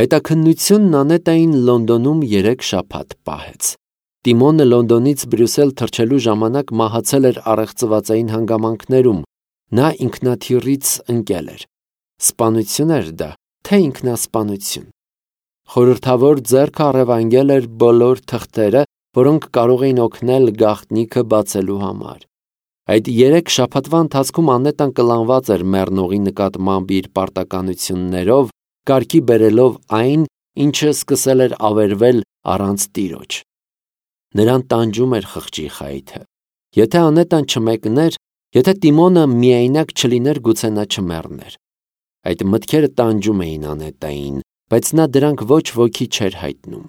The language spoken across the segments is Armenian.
Հետաքննությունն Անետային Լոնդոնում 3 շաբաթ պահեց։ Տիմոնը Լոնդոնից Բրյուսել թռչելու ժամանակ մահացել էր առեղծվածային հանգամանքներում, նա ինքնաթիռից ընկել էր։ Սպանություն էր դա, թե ինքնասպանություն։ Խորհրդավոր ձեռքը առևանգել էր բոլոր թղթերը, որոնք կարող էին օգնել գաղտնիքը բացելու համար։ Այդ 3 շաբաթվա ընթացքում Անետան կլանված էր մեռնողի նկատմամբ իր պարտականություններով, կարգի բերելով այն, ինչը սկսել էր ավերվել առանց տիրոջ։ Նրան տանջում էր խղճի խայթը։ Եթե Անետան չմեկներ, եթե Տիմոնը միայնակ չլիներ, գուցե նա չմեռներ։ Այդ մտքերը տանջում էին Անետային, բայց նա դրանք ոչ ոքի չէր հայտնում։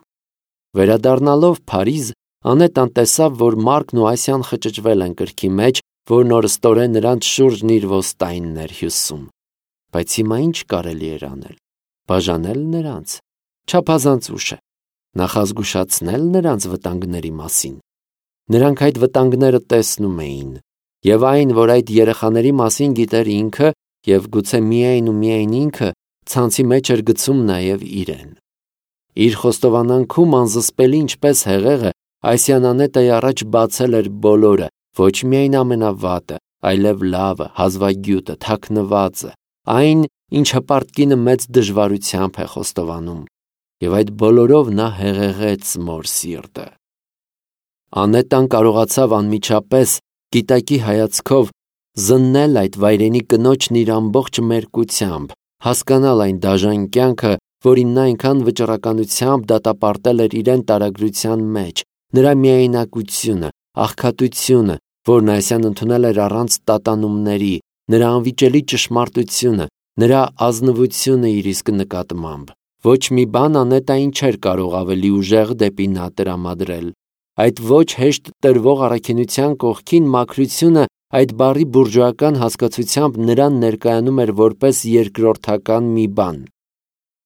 Վերադառնալով Փարիզ, Անետան տեսավ, որ Մարկն ու Ասիան խճճվել են կրքի մեջ, որն օրստորեն նրանց շուրջն իր ոստայինն էր հյուսում։ Բայց հիմա ինչ կարելի էր անել։ Բաժանել նրանց։ Չափազանց ուշ է։ Նախազգուշացնել նրանց վտանգների մասին։ Նրանք այդ վտանգները տեսնում էին, եւ այն, որ այդ երեխաների մասին գիտեր ինքը, եւ գուցե միայն ու միայն ինքը, ցանցի մեջ էր գցում նաեւ իրեն։ Իր խոստովանանքում անզսպելի ինչպես հեղեղը, Ասիան Անետայի առաջ բացել էր բոլորը, ոչ միայն ամենավատը, այլև լավը, հազվագյուտը, թաքնվածը, այն, ինչ հպարտ կինը մեծ դժվարությամբ է խոստովանում, եւ այդ բոլորով նա հեղեղեց մոր սիրտը։ Անետան կարողացավ անմիջապես, գիտակի հայացքով, զննել այդ վայրենի կնոջն իր ամբողջ մերկությամբ, հասկանալ այն դաժան կյանքը, որին նա այնքան վճռականությամբ դատապարտել էր իրեն տարագրության մեջ, նրա միայնակությունը, աղքատությունը, որն Ասիան ընդունել էր առանց տատանումների, նրա անվիճելի ճշմարտությունը, նրա ազնվությունը իր իսկ նկատմամբ։ Ոչ մի բան Անետային չէր կարող ավելի ուժեղ դեպի նա տրամադրել։ Այդ ոչ հեշտ տրվող առաքինության կողքին մաքրությունը այդ բառի բուրժուական հասկացությամբ նրան ներկայանում էր որպես երկրորդական մի բան։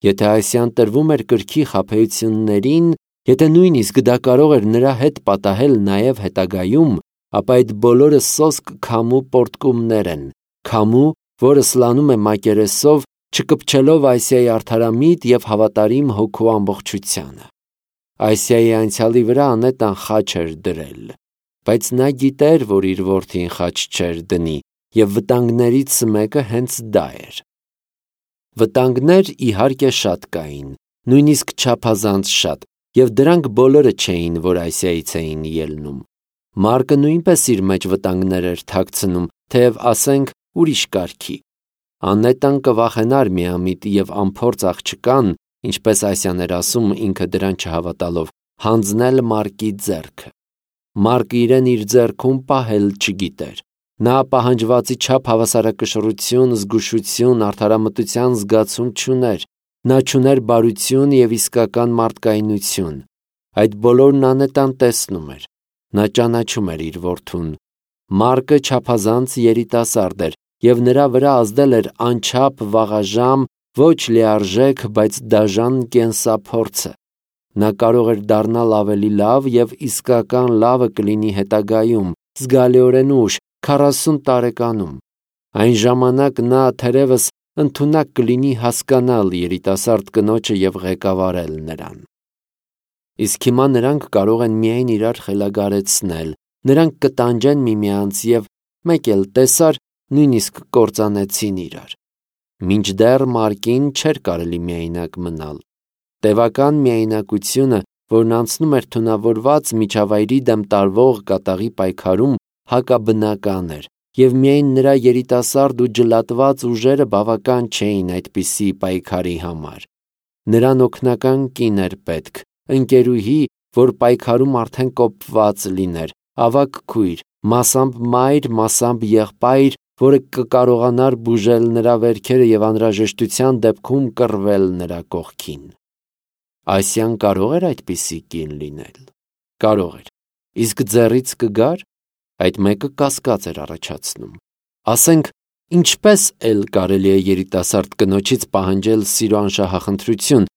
Եթե Ասիան տրվում էր կրքի խաբեություններին, եթե նույնիսկ դա կարող էր նրա հետ պատահել նաև հետագայում, ապա այդ բոլորը սոսկ քամու պոռթկումներ են, քամու, որը սլանում է մակերեսով, չկպչելով Ասիայի արդարամիտ եւ հավատարիմ հոգու ամբողջությանը։ Ասիայի անցյալի վրա Անետան խաչ էր դրել, բայց նա գիտեր, որ իր որդին խաչ չէր դնի, եւ վտանգներից մեկը հենց դա էր։ Վտանգներ իհարկե շատ կային, նույնիսկ չափազանց շատ, եւ դրանք բոլորը չէին, որ Ասիայից էին ելնում։ Մարկը նույնպես իր մեջ վտանգներ էր թաքցնում, թեև ասենք ուրիշ կարգի։ Անետան կվախենար միամիտ եւ անփորձ աղջկան, ինչպես Ասիան էր ասում ինքը դրան չհավատալով, հանձնել Մարկի ձեռքը։ Մարկը իրեն իր ձեռքում պահել չգիտեր։ Նա պահանջվածի չափ հավասարակշռություն, զգուշություն, արդարամտության զգացում չուներ։ Նա չուներ բարություն եւ իսկական մարդկայնություն։ Այդ բոլորն Անետան տեսնում էր։ Նա ճանաչում էր իր որդուն։ Մարկը չափազանց երիտասարդ էր եւ նրա վրա ազդել էր անչափ վաղաժամ, ոչ լիարժեք, բայց դաժան կենսափորձը։ Նա կարող էր դառնալ ավելի լավ եւ իսկական լավը կլինի հետագայում, զգալիորեն ուշ, 40 տարեկանում։ Այն ժամանակ նա թերևս ընդունակ կլինի հասկանալ երիտասարդ կնոջը եւ ղեկավարել նրան։ Իսկ հիմա նրանք կարող են միայն իրար խելագարեցնել, նրանք կտանջեն միմյանց եւ մեկ էլ տեսար, նույնիսկ կործանեցին իրար։ Մինչդեռ Մարկին չէր կարելի միայնակ մնալ։ Տևական միայնակությունը, որն անցնում էր թունավորված միջավայրի դեմ տարվող կատաղի պայքարում, հակաբնական էր, եւ միայն նրա երիտասարդ ու ջլատված ուժերը բավական չէին այդպիսի պայքարի համար։ Նրան օգնական կին էր պետք, ընկերուհի, որ պայքարում արդեն կոփված լիներ, ավագ քույր, մասամբ մայր, մասամբ եղբայր, որը կկարողանար բուժել նրա վերքերը եւ անհրաժեշտության դեպքում կռվել նրա կողքին։ Ասիան կարող էր այդպիսի կին լինել։ Կարող էր։ Իսկ ձեռից կգար, այդ մեկը կասկած էր առաջացնում։ Ասենք, ինչպես էլ կարելի է երիտասարդ կնոջից պահանջել սիրո անշահախնդրություն,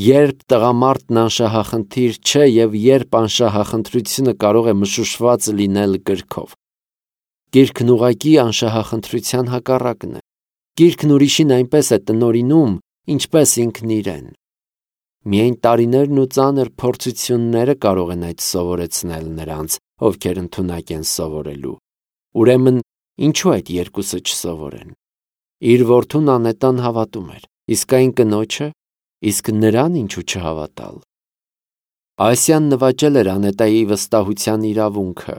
երբ տղամարդն անշահախնդիր չէ եւ երբ անշահախնդրությունը կարող է մշուշված լինել կրքով։ Գիրքն ուղղակի անշահախնդրության հակառակն է։ Գիրքն ուրիշին այնպես է տնօրինում, ինչպես ինքն իրեն։ Միայն տարիներն ու ծանր փորձությունները կարող են այդ սովորեցնել նրանց, ովքեր ընդունակ են սովորելու։ Ուրեմն, ինչու այդ երկուսը չսովորեն։ Իր որդուն անետան հավատում էր, իսկ այն կնոջը, իսկ նրան ինչու չհավատալ։ Ասիան նվաճել էր անետայի վստահության իրավունքը։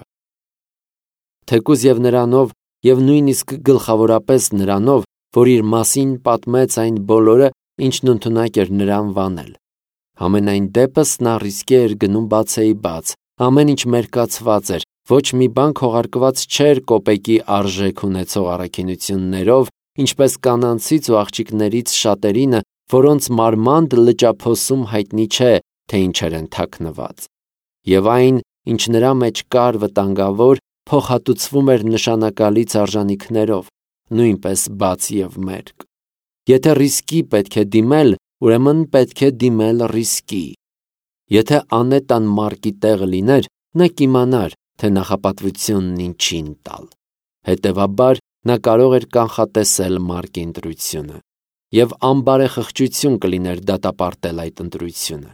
Թեկուզ եւ նրանով, եւ նույնիսկ գլխավորապես նրանով, որ իր մասին պատմեց այն բոլորը, ինչն ընդունակ էր նրան վանել։ Համենայն դեպս նա ռիսկի էր գնում բացեի բաց, ամեն ինչ մերկացված էր, ոչ մի բան քողարկված չէր կոպեկի արժեք ունեցող առաքինություններով, ինչպես կանանցից ու աղջիկներից շատերինը, որոնց մարմանդ լճափոսում հայտնի չէ, թե ինչեր են թաքնված։ Եվ այն, ինչ նրա մեջ կար վտանգավոր, փոխհատուցվում էր նշանակալից արժանիքներով, նույնպես բաց եւ մերկ։ Եթե ռիսկի պետք է դիմել, ուրեմն պետք է դիմել ռիսկի։ Եթե անետան մարկի տեղը լիներ, նա կիմանար, թե նախապատվությունն ինչին տալ։ Հետևաբար, նա կարող էր կանխատեսել մարկի ընտրությունը, եւ անբարեխղճություն կլիներ դատապարտել այդ ընտրությունը։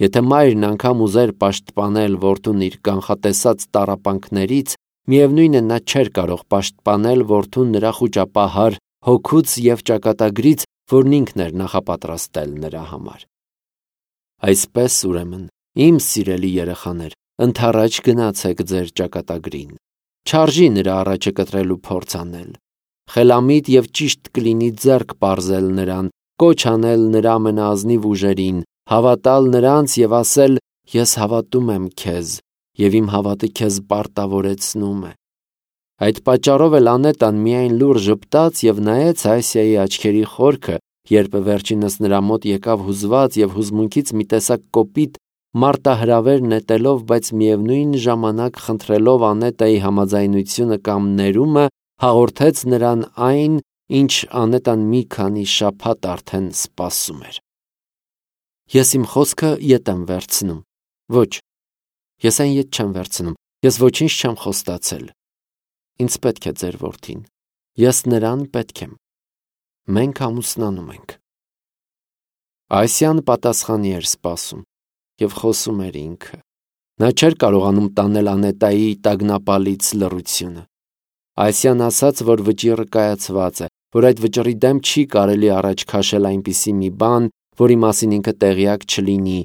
Եթե մայրն անգամ ուզեր պաշտպանել որդուն իր կանխատեսած տառապանքներից, միևնույն է նա չէր կարող պաշտպանել որդուն նրա խուճապահար հոգուց եւ ճակատագրից, որն ինքն էր նախապատրաստել նրա համար։ Այսպես ուրեմն, իմ սիրելի երեխաներ, ընդառաջ գնացեք ձեր ճակատագրին։ Չարժի նրա առաջը կտրելու փորձ անել։ Խելամիտ եւ ճիշտ կլինի ձեռք պարզել նրան, կոչ անել նրա ամենաազնիվ ուժերին, հավատալ նրանց եւ ասել. «Ես հավատում եմ քեզ, եւ իմ հավատը քեզ պարտավորեցնում է»։ Այդ պատճառով էլ անետան միայն լուր ժպտաց եւ նայեց Ասիայի աչքերի խորքը, երբ վերջինս նրա մոտ եկավ հուզված եւ հուզմունքից մի տեսակ կոպիտ մարտահրավեր նետելով, բայց միևնույն ժամանակ խնդրելով անետայի համաձայնությունը կամ ներումը, հաղորդեց նրան այն, ինչ անետան մի քանի շաբաթ արդեն սպասում էր։ Ես իմ խոսքը ետ եմ վերցնում։ Ոչ, ես այն ետ չեմ վերցնում, ես ոչինչ չեմ խոստացել։ Ինձ պետք է ձեր որդին, ես նրան պետք եմ։ Մենք ամուսնանում ենք։ Ասիան պատասխանի էր սպասում եւ խոսում էր ինքը։ Նա չէր կարողանում տանել անետայի տագնապալից լռությունը։ Ասիան ասաց, որ վճիռը կայացված է, որ այդ վճռի դեմ չի կարելի առաջ քաշել այնպիսի մի բան, որի մասին ինքը տեղյակ չլինի,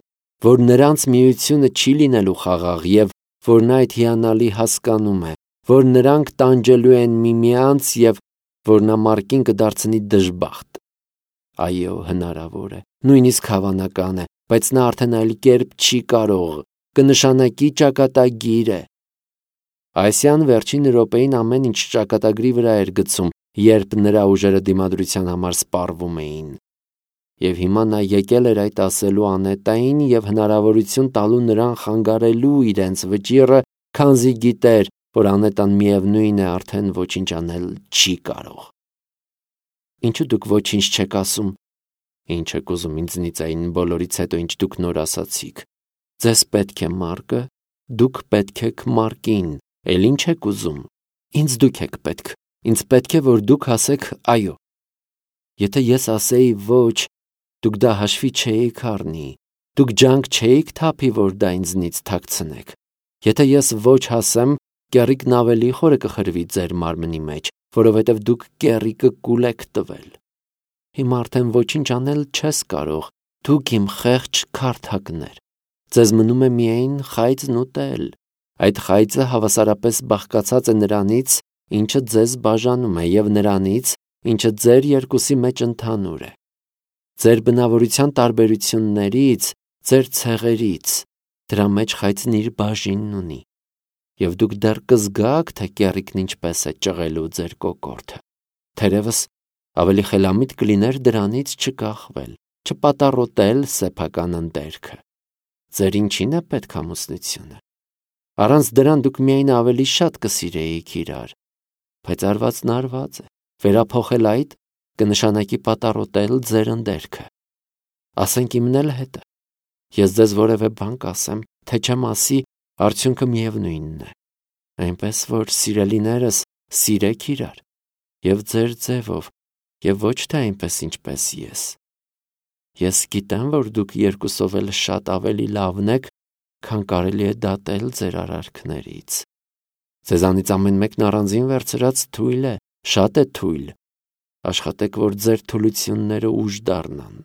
որ նրանց միությունը չի լինելու խաղաղ եւ որ նա այդ հիանալի հասկանում է, որ նրանք տանջելու են միմյանց եւ որ նա մարկին կդարձնի դժբախտ։ Այո, հնարավոր է, նույնիսկ հավանական է, բայց նա արդեն այլ կերպ չի կարող, կնշանակի ճակատագիր է։ Ասիան վերջին րոպեին ամեն ինչ ճակատագրի վրա էր գցում, երբ նրա ուժերը դիմադրության համար սպառվում էին։ Եվ հիմա նա եկել էր այդ ասելու անետային եւ հնարավորություն տալու նրան խանգարելու իրենց վճիռը, քանզի գիտեր, որ անետան միևնույն է արդեն ոչինչ անել չի կարող։ Ինչու դուք ոչինչ չեք ասում։ Ինչ եք ուզում ինձնից այն բոլորից հետո, ինչ դուք նոր ասացիք։ Ձեզ պետք է մարկը, դուք պետք եք մարկին, էլ ինչ եք ուզում։ Ինձ դուք եք պետք, ինձ պետք է, որ դուք ասեք այո։ Եթե ես ասեի ոչ, դուք դա հաշվի չէիք առնի, դուք ջանք չէիք թափի, որ դա ինձնից թաքցնեք։ Եթե ես ոչ ասեմ, կեռիկն ավելի խորը կխրվի ձեր մարմնի մեջ, որովհետև դուք կեռիկը կուլ եք տվել։ Հիմա արդեն ոչինչ անել չես կարող, դուք իմ խեղճ քարթակներ։ Ձեզ մնում է միայն խայծն ուտել։ Այդ խայծը հավասարապես բաղկացած է նրանից, ինչը ձեզ բաժանում է, եւ նրանից, ինչը ձեր երկուսի մեջ ընդհանուր է։ Ձեր բնավորության տարբերություններից, ձեր ցեղերից, դրա մեջ խայծն իր բաժինն ունի, եւ դուք դեռ կզգաք, թե կեռիկն ինչպես է ճղելու ձեր կոկորդը։ Թերևս ավելի խելամիտ կլիներ դրանից չկախվել, չպատառոտել սեփական ընդերքը։ Ձեր ինչին է պետք ամուսնությունը։ Առանց դրան դուք միայն ավելի շատ կսիրեիք իրար, բայց արվածն արված է, վերափոխել այդ կնշանակի պատառոտել ձեր ընդերքը։ Ասենք իմն էլ հետը։ Ես ձեզ որևէ բան կասեմ, թե չեմ ասի, արդյունքը միևնույնն է։ Այնպես որ սիրելիներս, սիրեք իրար եւ ձեր ձևով, եւ ոչ թե այնպես ինչպես ես։ Ես գիտեմ, որ դուք երկուսով էլ շատ ավելի լավն եք, քան կարելի է դատել ձեր արարքներից։ Ձեզանից ամեն մեկն առանձին վերցրած թույլ է, շատ է թույլ։ Աշխատեք, որ ձեր թուլությունները ուժ դառնան։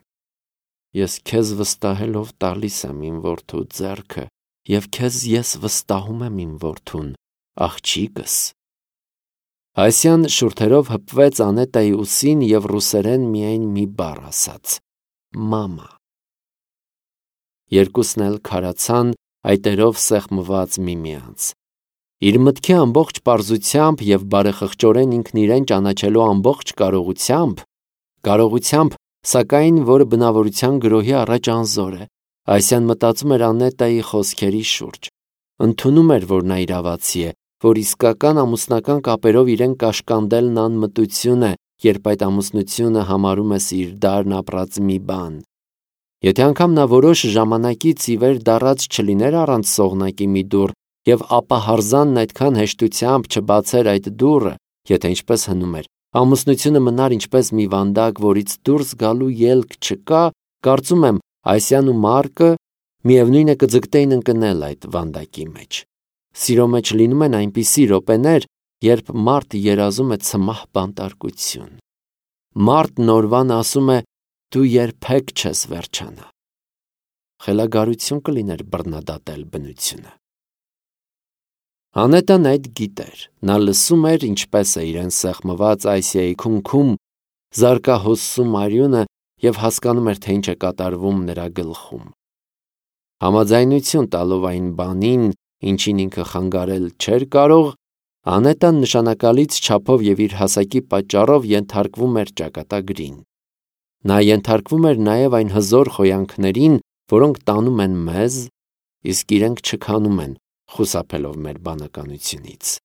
Ես քեզ վստահելով տալիս եմ իմ որդու ձեռքը, և քեզ ես վստահում եմ իմ որդուն, աղջիկս։ Այսյան շուրթերով հպվեց Անետայի ուսին և ռուսերեն միայն մի բառ ասաց. մամա։ Երկուսն էլ քարացան, այտերով սեղմված միմյանց։ Իր մտքի ամբողջ պարզությամբ և բարեխղճորեն ինքն իրեն ճանաչելու ամբողջ կարողությամբ, սակայն, որը բնավորության գրոհի առաջ անզոր է, Այսյան մտածում էր Անետայի խոսքերի շուրջ։ Ընդունում էր, որ նա իրավացի է, որ իսկական ամուսնական կապերով իրեն կաշկանդելն անմտություն է, երբ այդ ամուսնությունը համարում ես իր դարն ապրած մի բան։ Եթե անգամ նա որոշ ժամանակից ի վեր դառած չլիներ առանց սողնակի մի դուռ, և ապա հարզանն այդքան հեշտությամբ չբացեր այդ դուռը, եթե ինչպես հնում էր, ամուսնությունը մնար ինչպես մի վանդակ, որից դուրս գալու ելք չկա, կարծում եմ, Այսյան ու Մարկը միևնույն է կձգտեին ընկնել այդ վանդակի մեջ։ Սիրո մեջ լինում են այնպիսի րոպեներ, երբ մարդ երազում է ցմահ բանտարկություն։ Մարդն օրվան ասում է, դու երբեք չես վերջանա։ Խելագարություն կլիներ բռնադատել բնությունը։ Անետան այդ գիտեր, նա լսում էր, ինչպես է իրեն սեղմված Այսիայի քունքում, զարկահոսում արյունը և հասկանում էր, թե ինչ է կատարվում նրա գլխում։ Համաձայնություն տալով այն բանին, ինչին ինքը խանգարել չէր կարող, Անետան նշանակալից չափով և իր հասակի պատճառով ենթարկվում էր ճակատագրին։ Նա ենթարկվում էր նաև այն հզոր խոյանքներին, որոնք տանում են մեզ, իսկ իրենք չքանում են, խուսափելով մեր բանականությունից։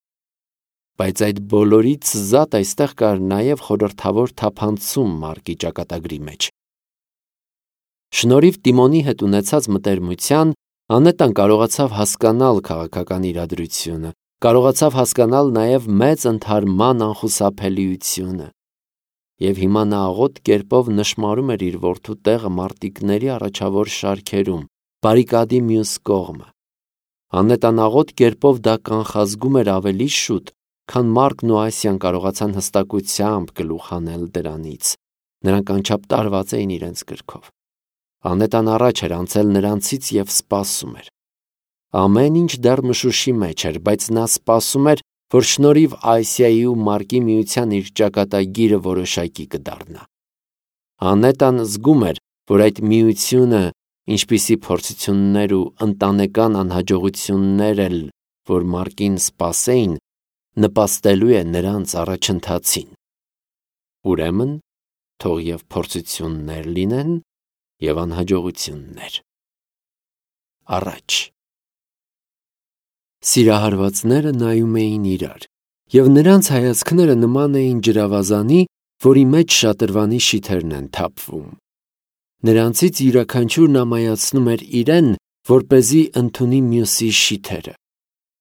Բայց այդ բոլորից զատ այստեղ կար նաև խորհրդավոր թափանցում Մարկի ճակատագրի մեջ։ Շնորհիվ Տիմոնի հետ ունեցած մտերմության, Անետան կարողացավ հասկանալ քաղաքական իրադրությունը, կարողացավ հասկանալ նաև մեծ ընդհարման անխուսափելիությունը։ Եվ հիմա նա աղոտ կերպով նշմարում էր իր որդու տեղը մարտիկների առաջավոր շարքերում, բարիկադի մյուս կողմը։ Անետան աղոտ կերպով դա կանխազգում էր ավելի շուտ, քան Մարկն ու Այսյան կարողացան հստակությամբ գլուխ հանել դրանից։ Նրանք անչափ տարված էին իրենց գրքով։ Անետան առաջ էր անցել նրանցից և սպասում էր։ Ամեն ինչ դեռ մշուշի մեջ էր, բայց նա սպասում էր, որ շնորհիվ Այսիայի ու Մարկի միության իր ճակատագիրը որոշակի կդառնա։ Անետան զգում էր, որ այդ միությունը, ինչպիսի փորձություններ ու ընտանեկան անհաջողություններ էլ, որ Մարկին սպասեին, նպաստելու է նրանց առաջընթացին։ Ուրեմն, թող և փորձություններ լինեն, և անհաջողություններ։ Առաջ։ Սիրահարվածները նայում էին իրար, և նրանց հայացքները նման էին ջրավազանի, որի մեջ շատրվանի շիթերն են թափվում։ Նրանցից յուրաքանչյուրն ամայացնում էր իրեն, որպեսզի ընդունի մյուսի շիթերը։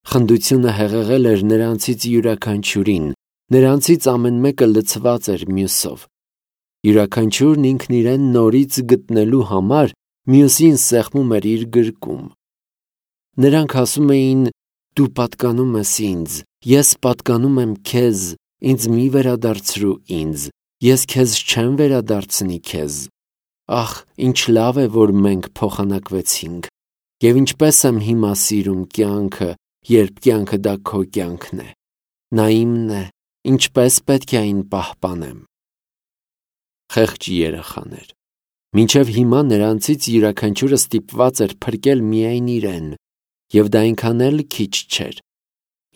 Խնդությունը հեղեղել էր նրանցից յուրաքանչյուրին, նրանցից ամեն մեկը լցված էր մյուսով։ Յուրաքանչյուրն ինքն իրեն նորից գտնելու համար մյուսին սեղմում էր իր գրկում։ Նրանք ասում էին. «Դու պատկանում ես ինձ, ես պատկանում եմ քեզ, ինձ մի վերադարձրու ինձ, ես քեզ չեմ վերադարձնի քեզ։ Ախ, ինչ լավ է, որ մենք փոխանակվեցինք, և ինչպես եմ հիմա սիրում կյանքը, երբ կյանքը դա քո կյանքն է։ Նա իմն է, ինչպես պետք է այն պահպանեմ»։ Խեղճ երեխաներ։ Մինչև հիմա նրանցից յուրաքանչյուրը ստիպված էր փրկել միայն իրեն, և դա այնքան էլ քիչ չէր։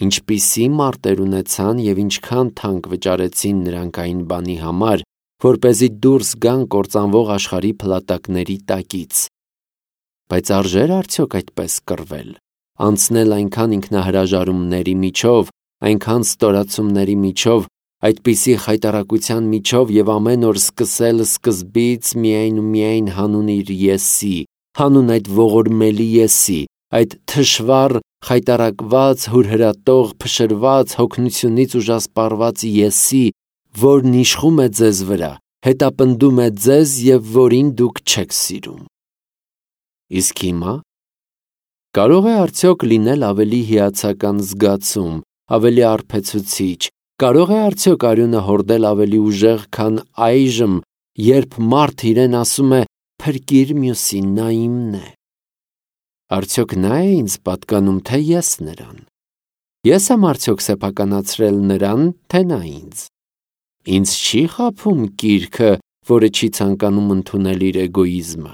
Ինչպիսի մարտեր ունեցան և ինչքան թանկ վճարեցին նրանք այն բանի համար, որպեսզի դուրս գան կործանվող աշխարհի փլատակների տակից։ Բայց արժե՞ր արդյոք այդպես կռվել, անցնել այնքան ինքնահրաժարումների միջով, այնքան ստորացումների միջով, այդպիսի խայտառակության միջով և ամեն օր սկսել սկզբից միայն ու միայն հանուն իր եսի, հանուն այդ ողորմելի եսի, այդ թշվառ, խայտառակված, հուրհրատող, փշրված, հոգնությունից ուժասպառված եսի, որն իշխում է ձեզ վրա, հետապնդում է ձեզ և որին դուք չեք սիրում։ Իսկ հիմա կարող է արդյոք լինել ավելի հիացական զգացում, ավելի արբեցուցիչ, կարող է արդյոք արյունը հորդել ավելի ուժեղ, քան այժմ, երբ մարդ իրեն ասում է «Փրկիր մյուսին, նա իմն է»։ Արդյոք նա է ինձ պատկանում, թե ես նրան։ Ես եմ արդյոք սեփականացրել նրան, թե նա ինձ։ Ինձ չի խաբում կիրքը, որը չի ցանկանում ընդունել իր էգոիզմը։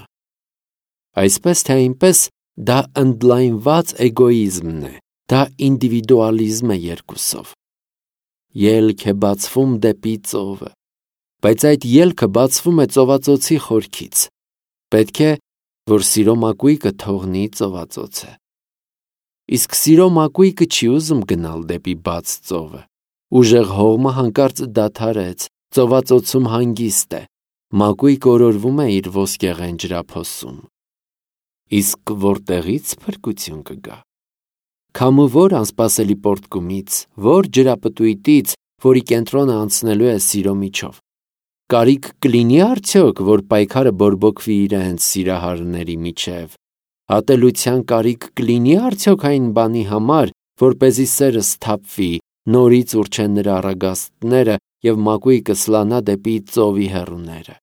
Այսպես թե այնպես, դա ընդլայնված էգոիզմն է, դա ինդիվիդուալիզմ է երկուսով։ Ելք է բացվում դեպի ծովը, բայց այդ ելքը բացվում է ծովածոցի խորքից։ Պետք է, որ սիրո մակույկը թողնի ծովածոցը։ Իսկ սիրո մակույկը չի ուզում գնալ դեպի բաց ծովը։ Ուժեղ հողմը հանկարծ դադարեց, ծովածոցում հանգիստ է, մակույկը օրորվում է իր ոսկեղեն ջրափոսում։ Իսկ որտեղից փրկություն կգա։ Քամու որ անսպասելի պոռթկումից, որ ջրապտույտից, որի կենտրոնը անցնելու է սիրո միջով։ Կարիք կլինի արդյոք, որ պայքարը բորբոքվի իրենց սիրահարների միջև։ Ատելության կարիք կլինի արդյոք այն բանի համար, որպեսզի սերը սթափվի, նորից ուռչեն նրա առագաստները և մակույկը սլանա դեպի ծովի հեռուները։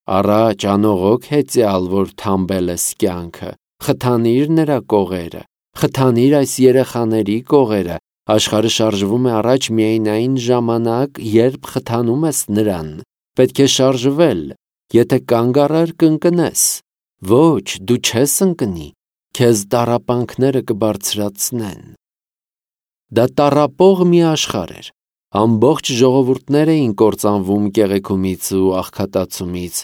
Առաջ անողոք հեծյալ, որ թամբել ես կյանքը, խթանիր նրա կողերը, խթանիր այս երեխաների կողերը, աշխարհը շարժվում է առաջ միայն այն ժամանակ, երբ խթանում ես նրան, պետք է շարժվել, եթե կանգ առար կընկնես, ոչ, դու չես ընկնի, քեզ տառապանքները կբարձրացնեն։ Դա տառապող մի աշխարհ էր, ամբողջ ժողովուրդներ էին կործանվում կեղեքումից ու աղքատացումից,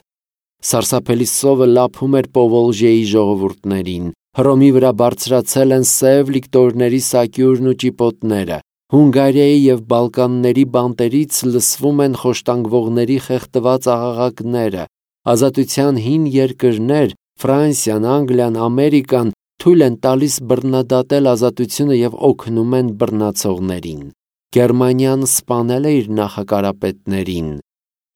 սարսափելի սովը լափում էր Պովոլժիեի ժողովուրդներին, Հռոմի վրա բարձրացել են սև լիկտորների սակյուրն ու ճիպոտները, Հունգարիայի և Բալկանների բանտերից լսվում են խոշտանգվողների խեղդված աղաղակները, ազատության հին երկրներ, Ֆրանսիան, Անգլիան, Ամերիկան թույլ են տալիս բռնադատել ազատությունը և օգնում են բռնացողներին։ Գերմանիան սպանել է իր նախակարապետներին,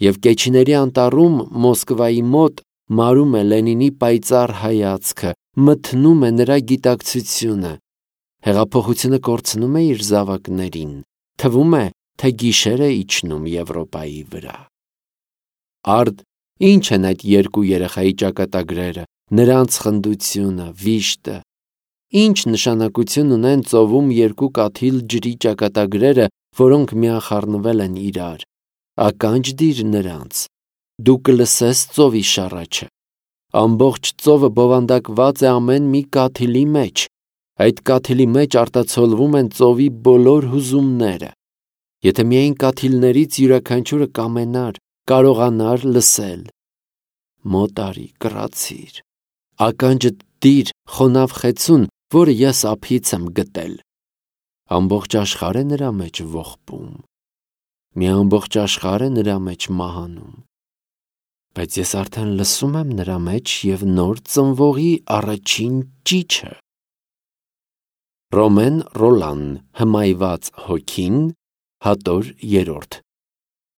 և Կեչիների անտառում Մոսկվայի մոտ մարում է Լենինի պայծառ հայացքը, մթնում է նրա գիտակցությունը։ Հեղափոխությունը կորցնում է իր զավակներին, թվում է, թե գիշեր է իջնում Եվրոպայի վրա։ Արդ, ինչ են այդ երկու երեխայի ճակատագրերը, նրանց խնդությունը, վիշտը։ Ինչ նշանակություն ունեն ծովում երկու կաթիլ ջրի ճակատագրերը, որոնք միախառնվել են իրար։ Ականջ դիր նրանց։ Դու կլսես ծովի շառաչը։ Ամբողջ ծովը բովանդակված է ամեն մի կաթիլի մեջ։ Այդ կաթիլի մեջ արտացոլվում են ծովի բոլոր հուզումները։ Եթե միայն կաթիլներից յուրաքանչյուրը կամենար, կարողանար լսել։ Մոտ արի, կռացիր։ Ականջդ դիր խոնավ խեցուն, որը ես ափից եմ գտել։ Ամբողջ աշխարհ է նրա մեջ ողբում։ Մի ամբողջ աշխարհ է նրա մեջ մահանում։ Բայց ես արդեն լսում եմ նրա մեջ և նոր ծնվողի առաջին ճիչը։ Ռոմեն Ռոլան, Հմայված հոգին, հատոր 3